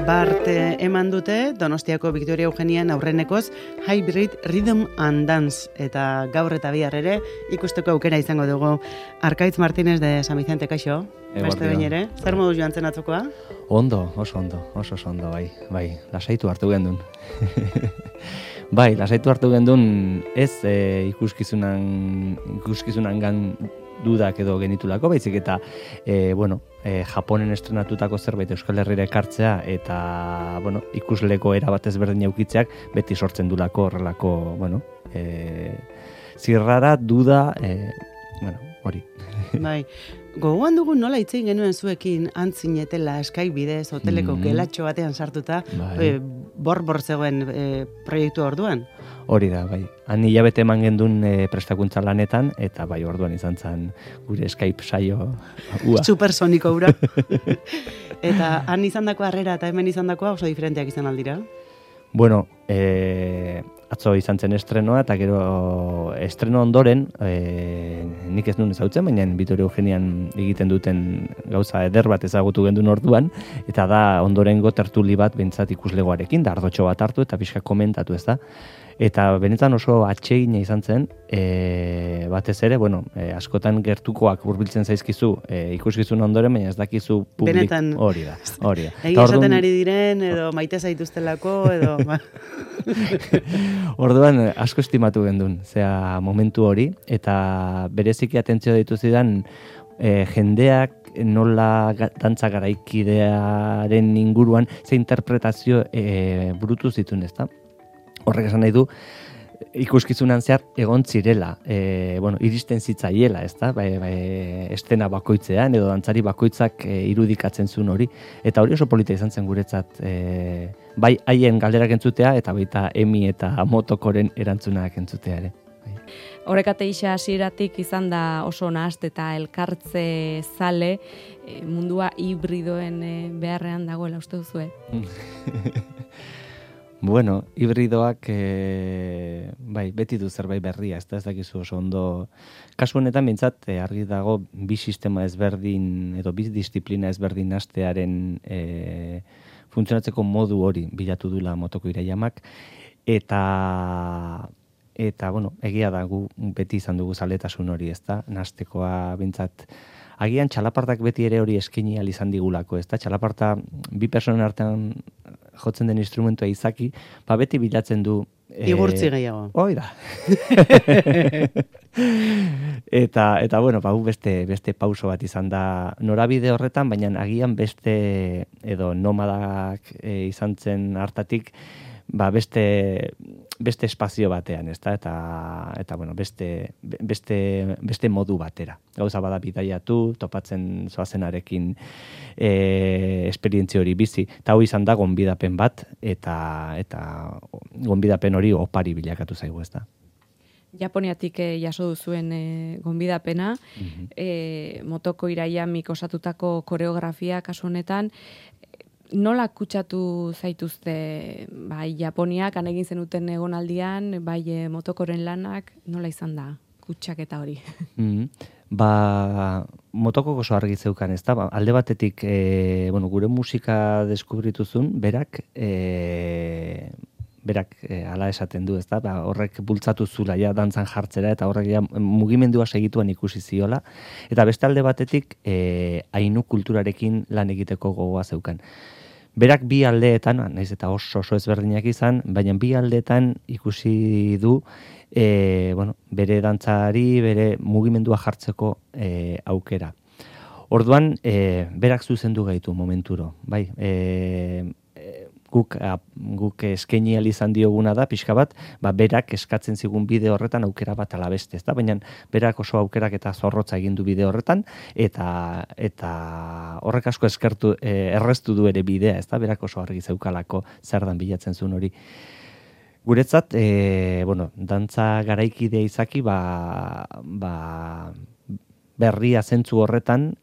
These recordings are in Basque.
bart eman dute Donostiako Victoria Eugenian aurrenekoz Hybrid Rhythm and Dance, eta gaur eta bihar ere ikusteko aukera izango dugu. Arkaitz Martínez de San Vicente, kaixo, beste behin ere, zer modu joan zen atzokoa? Ondo, oso ondo, bai, lasaitu hartu gendun. Bai, lasaitu hartu gendun ez ikuskizunangan dudak edo genitulako, baizik eta Japonen estrenatutako zerbait Euskal Herrira ekartzea eta ikusleko erabat ezberdin eukitzeak beti sortzen dulako horrelako, zirrara, duda, hori. Bai, gogoan dugu nola hitz egin genuen zuekin antzinetela Skype bidez, hoteleko gelatxo batean sartuta, bor zegoen proiektu orduan. Hori da, bai. Han hilabete eman gendun prestakuntza lanetan, eta bai, orduan izan zen gure Skype saio ua. Supersoniko ura. Eta han izandako harrera eta hemen izandakoa oso diferenteak izan aldira? Bueno, atzo izan zen estrenoa, eta gero estreno ondoren, nik ez nuen ezagutzen, baina Victoria Eugenian egiten duten gauza eder bat ezagutu gendun orduan, eta da ondorengo tertuli bat behintzat ikuslegoarekin, da ardotxo bat hartu eta pixka komentatu, ez da. Eta benetan oso atsegina izan zen, batez ere, askotan gertukoak hurbiltzen zaizkizu ikuskizun ondoren, baina ez dakizu publik. Benetan. Hori da. Egia esaten ari diren, edo maite zaituztelako, edo... Orduan asko estimatu gendun, zea momentu hori, eta bereziki atentzio deitu zidan jendeak nola dantza garaikidearen inguruan ze interpretazio burutu zituen, ezta? Horrek esan nahi du, ikuskizunan zehar egon zirela, iristen zitzaiela, ezta? Estena bakoitzean edo dantzari bakoitzak irudikatzen zuen hori, eta hori oso polita izan zen guretzat, bai haien galderak entzutea eta baita Emi eta Motokoren erantzunak entzutea ere. Horrekate isa hasieratik izan da oso nahaste eta elkartze zale, mundua hibridoen beharrean dagoela uste duzue? Bueno, hibridoak beti du zerbait berria, ez dakizu oso ondo. Kasu honetan behintzat argi dago bi sistema ezberdin edo bi disiplina ezberdin hastearen funtzionatzeko modu hori bilatu dula Motoko Iraiamak, eta egia da gu beti izan dugu zaletasun hori, ezta? Nahastekoa behintzat agian txalapartak beti ere hori eskaini ahal izan digulako, ezta? Txalaparta bi personen artean jotzen den instrumentua izaki, beti bilatzen du... Igurtzi gehiago. Hoi da. Eta beste pauso bat izan da norabide horretan, baina agian beste edo nomadak izan zen hartatik, beste espazio batean, ezta? Eta beste modu batera. Gauza bada bidaiatu, topatzen zoazenarekin esperientzia hori bizi. Eta hau izan da gonbidapen bat, eta gonbidapen hori opari bilakatu zaigu, ezta? Japoniatik jaso duzuen gonbidapena, Motoko Iraiamik osatutako koreografia kasu honetan, nola kutsatu zaituzte bai Japoniak egin zenuten egonaldian, bai Motokoren lanak, nola izan da kutsaketa hori? Motoko oso argi zeukan, ez da? Alde batetik, gure musika deskubrituzun, berak hala esaten du, ez da? Horrek bultzatu zula ja dantzan jartzera, eta horrek ja mugimendua segituan ikusi ziola, eta beste alde batetik ainu kulturarekin lan egiteko gogoa zeukan. Berak bi aldeetan, nahiz eta oso ezberdinak izan, baina bi aldeetan ikusi du bere dantzari, bere mugimendua jartzeko aukera. Orduan, berak zuzendu gaitu momenturo, bai, guk eskaini ahal izan dioguna da, pixka bat, berak eskatzen zigun bide horretan aukera bat alabeste, ezta? Baina berak oso aukerak eta zorrotza egin du bide horretan, eta horrek asko erreztu du ere bidea, ezta? Berak oso argi zeukalako zer dan bilatzen zuen hori. Guretzat, dantza garaikidea izaki, berria zentzu horretan,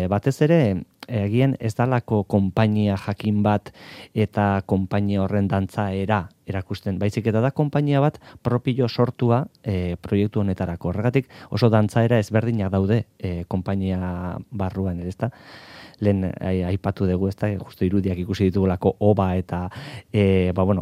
batez ere Egian ez dalako konpainia jakin bat eta konpainia horren dantzaera erakusten. Baizik eta da konpainia bat propio sortua proiektu honetarako. Horregatik oso dantzaera ezberdinak daude konpainia barruan, ezta? Lehen aipatu dugu, ezta, justu irudiak ikusi ditugulako oba eta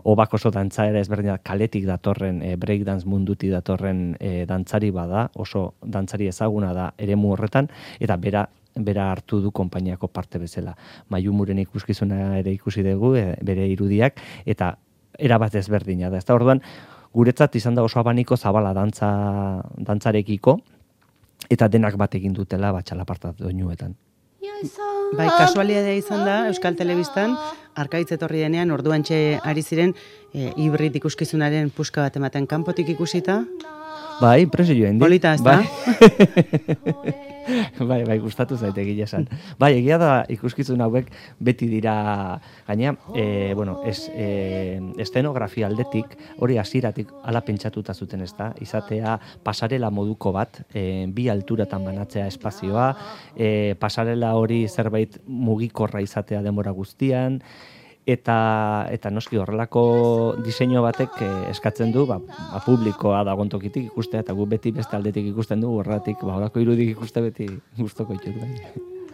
obak oso dantzaera ezberdinak kaletik datorren, breakdance munduti datorren dantzari bada, oso dantzari ezaguna da eremu horretan, eta bera hartu du konpainiako parte bezala. Maiu Muren ikuskizuna ere ikusi dugu, bere irudiak, eta erabat ezberdina da. Ezta, orduan, guretzat izan da oso abaniko zabala dantzarekiko, eta denak bat egin dutela txalaparta doinuetan. Bai, kasualidadea izan da, Euskal Telebistan, Arkaitz etorri denean, orduantxe ari ziren, hibrid ikuskizunaren puska bat ematen kanpotik ikusita. Bai, impresio joen dit. Polita, ez da? Bai, gustatu zaite egia esan. Bai, egia da ikuskizun hauek beti dira, gaina, estenografia aldetik, hori hasieratik ala pentsatuta zuten, ez da, izatea pasarela moduko bat, bi alturatan banatzea espazioa, pasarela hori zerbait mugikorra izatea denbora guztian, eta noski horrelako diseinu batek eskatzen du publikoa dagoen tokitik ikustea, eta gu beti beste aldetik ikusten du, horregatik horrelako irudik ikuste beti gustoko ditut.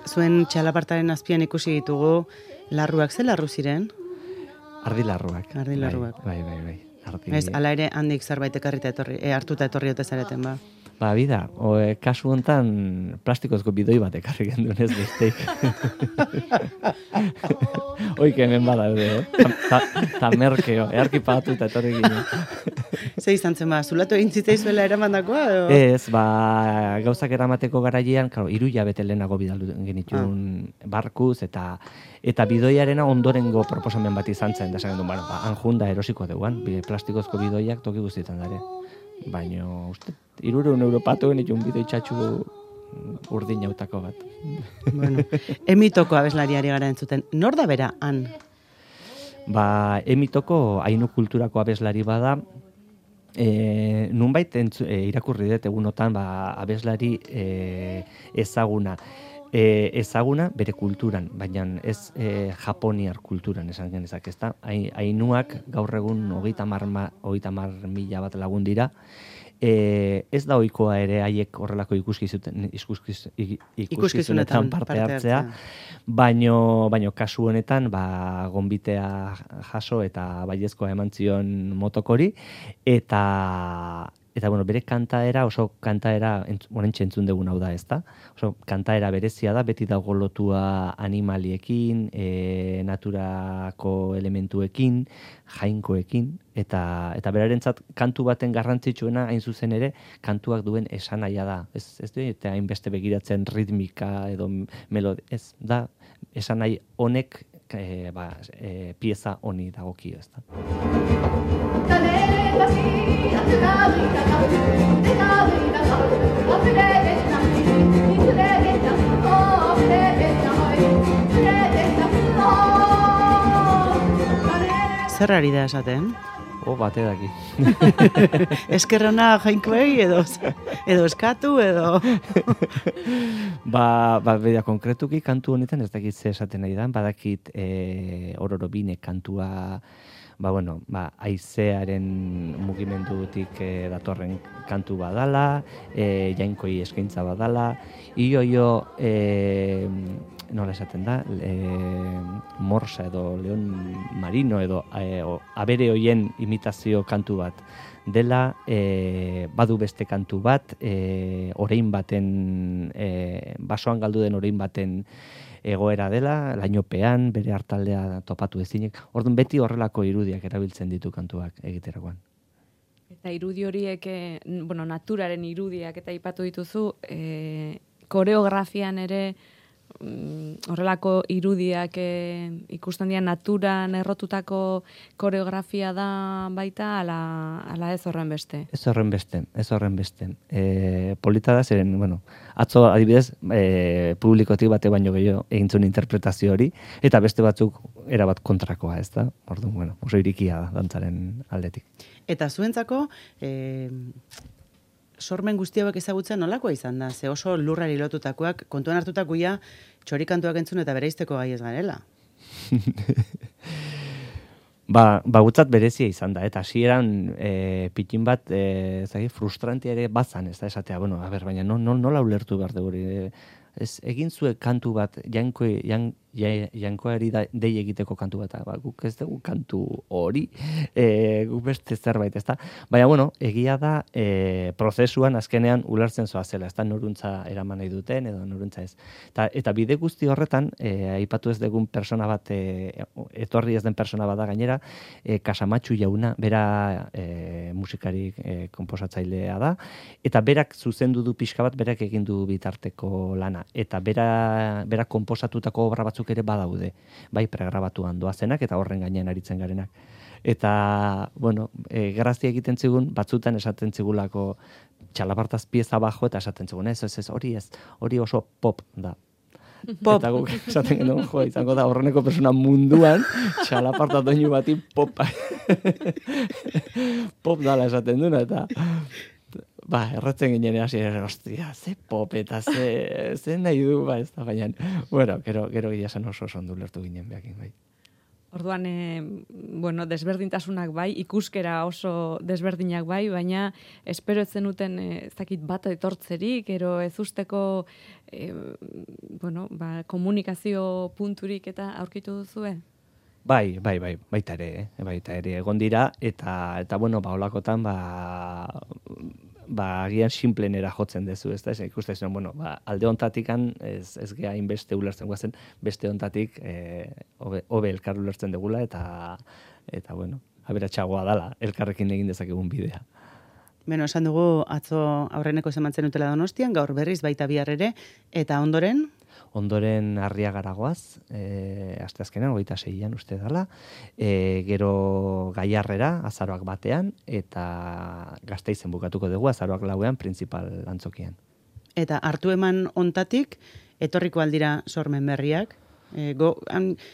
Zuen txalapartaren azpian ikusi ditugu larruak, ze larru ziren? Ardilarruak. Ardilarruak. Bai. Ez, ala ere handik zerbait ekarrita hartuta etorri ote zareten, ba? Bida, kasu hontan plastikozko bidoi bat ekarri gendun ez besteik. Oike hemen badaude, ta merkeo, earki pagatu eta etorri ginen. Ze izan zen, zulatu egin zitzaizuela eramandakoa? Ez, gauzak eramateko garailean, 3 hilabete lehenago bidaldu genituen barkuz, eta bidoiarena ondorengo proposamen bat izan zen, da esan genuen, anjunda erosiko deuan, plastikozko bidoiak toki guztietan dare. Baina, uste, 300 euro patu genituen bidoi txatxu urdin jautako bat. Bueno, Emitoko abeslariari gara entzuten. Nor da bera, han? Emitoko hainu kulturako abeslari bada, nunbait irakurri dut egunotan abeslari ezaguna. Ezaguna bere kulturan, baina ez japoniar kulturan esan genezak, ezta? Ainuak gaur egun 30.000 bat lagun dira. Ez da ohikoa ere haiek horrelako ikuskizunetan parte hartzea, baino kasu honetan gonbitea jaso eta baiezkoa eman zion motokori, eta bere kantaera, oso kantaera, oraintxe entzun dugun hau da, ezta? Oso kantaera berezia da, beti dago lotua animaliekin, naturako elementuekin, jainkoekin, eta berarentzat kantu baten garrantzitsuena hain zuzen ere, kantuak duen esanahia da. Ez du, eta hainbeste begiratzen ritmika edo melodi, ez da, esanahi honek pieza honi dagokio, ezta? Zer ari da esaten? Bate daki. Eskerrona jainkoei edo eskatu edo... Beda konkretuki kantu honetan ez dakit ze esaten nahi da, badakit ororobine kantua, haizearen mugimendutik datorren kantu badala, jainkoi eskaintza badala, nola esaten da, morsa edo leon marino edo abere hoien imitazio kantu bat dela, badu beste kantu bat, orain baten, basoan galdu den orain baten egoera dela, lainopean, bere hartaldea topatu ezinek. Orduan beti horrelako irudiak erabiltzen ditu kantuak egiterakoan. Eta irudi horiek, naturaren irudiak eta aipatu dituzu, koreografian ere horrelako irudiak ikusten dira naturan errotutako koreografia da baita, ala ez horren beste? Ez horren beste. Polita da zeren, atzo adibidez, publikotik bate baino gehiago egintzun interpretazio hori, eta beste batzuk erabat kontrakoa, ez da? Orduan, oso irikia da dantzaren aldetik. Eta zuentzako, sormen guzti hauek ezagutzen nolakoa izan da? Ze oso lurrari lotutakoak, kontuan hartutakoia txorikantuak entzun eta bereizteko gai ez garela. Gutzat berezia izan da, eta hasieran pitin bat, frustrantia ere bazan, ez da esatea, bueno, a ber, baina nola ulertu behar dugu, egin zuen kantu bat, jankoari dei egiteko kantu bat, guk ez dugu kantu hori, guk beste zerbait, ez da? Baina, bueno, egia da, prozesuan azkenean ulertzen zoazela, ez da noruntza eraman nahi duten, edo noruntza ez. Eta bide guzti horretan, aipatu ez dugun persona bat, etorri ez den persona bat da gainera, Kasamatxu jauna, bera musikari konposatzailea da, eta berak zuzendu du pixka bat, berak egin du bitarteko lana, eta bera konposatutako obra batzuk ere badaude, bai pregrabatuan doazenak eta horren gainean aritzen garenak. Eta, bueno, grazia egiten zigun, batzutan esaten zigulako txalapartaz pieza bajo eta esaten zigun, hori oso pop da. Pop. Eta guk esaten genuen, izango da horreneko persona munduan, txalaparta doinu bati pop. Pop dala esaten duna, eta erratzen ginen hasi, ostia, ze pop eta ze nahi du, ez da, baina, bueno, gero gila zen oso ondo lertu ginen behakin, bai. Orduan, desberdintasunak bai, ikuskera oso desberdinak bai, baina espero ez zenuten ezakit bat etortzerik, ero ez usteko komunikazio punturik eta aurkitu duzue? Bai, baita ere, egon dira, eta holakotan, agian simplenera jotzen dezu, ez da, ikusten zuen, alde ontatikan ez gea inbeste ulertzen guazen, beste ontatik hobe elkar ulertzen degula, eta aberatsagoa dala, elkarrekin egin dezakegun bidea. Beno, esan dugu, atzo aurreneko zemantzen utela Donostian, gaur berriz baita bihar ere, eta ondoren? Ondoren Arriagaragoaz, asteazkenean, 26an uste dela, gero Gaiarrera, azaroak batean, eta Gasteizen bukatuko dugu, azaroak 4ean, Printzipal antzokian. Eta hartu eman ontatik, etorriko aldira sormen berriak,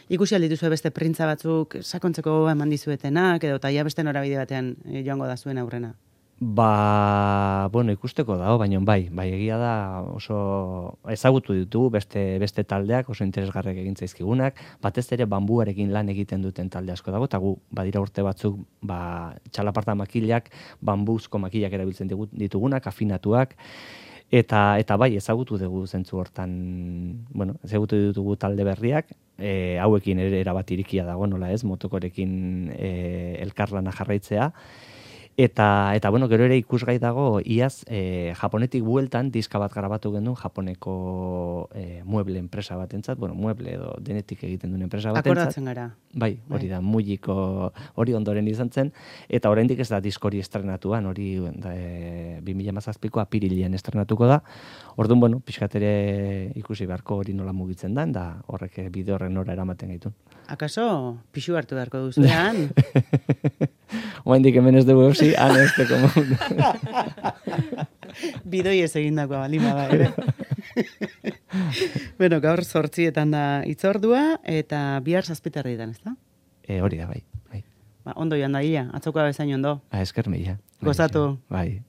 ikusi aldituzue beste printza batzuk sakontzeko eman dizuetenak, edo eta beste norabide batean joango da zuen aurrena. Ikusteko dago, baina bai, egia da oso ezagutu ditugu beste taldeak, oso interesgarriak egin zaizkigunak, batez ere bambuarekin lan egiten duten talde asko dago, eta gu badira urte batzuk txalaparta makilak, bambuzko makilak erabiltzen ditugunak, afinatuak, eta bai, ezagutu dugu zentzu hortan, ezagutu ditugu talde berriak, hauekin ere erabat irikia dago, nola ez, motokorekin elkarlana jarraitzea, Eta gero ere ikusgai dago, iaz, Japonetik bueltan, diska bat grabatu genuen, Japoneko mueble enpresa batentzat, mueble edo denetik egiten duen enpresa batentzat. Akordatzen gara. Bai, hori da, Mujiko hori ondoren izan zen, eta oraindik ez da diskori estrenatuan, hori 2017ko apirilean estrenatuko da. Orduan, pixkat ere ikusi beharko hori nola mugitzen da, da horrek bide horren nora eramaten gaitun. Akaso, pixu hartu beharko duzuean? Oaindik hemen ez dugu eusi, ez teko mundu. Bidoi ez egindakoa balima da, ere. Bueno, gaur 8etan da hitzordua, eta bihar 7:00 ez da? Hori da, bai. Ondo joan da ia, atzokoa bezain ondo. Esker mila. Gozatu. Bai.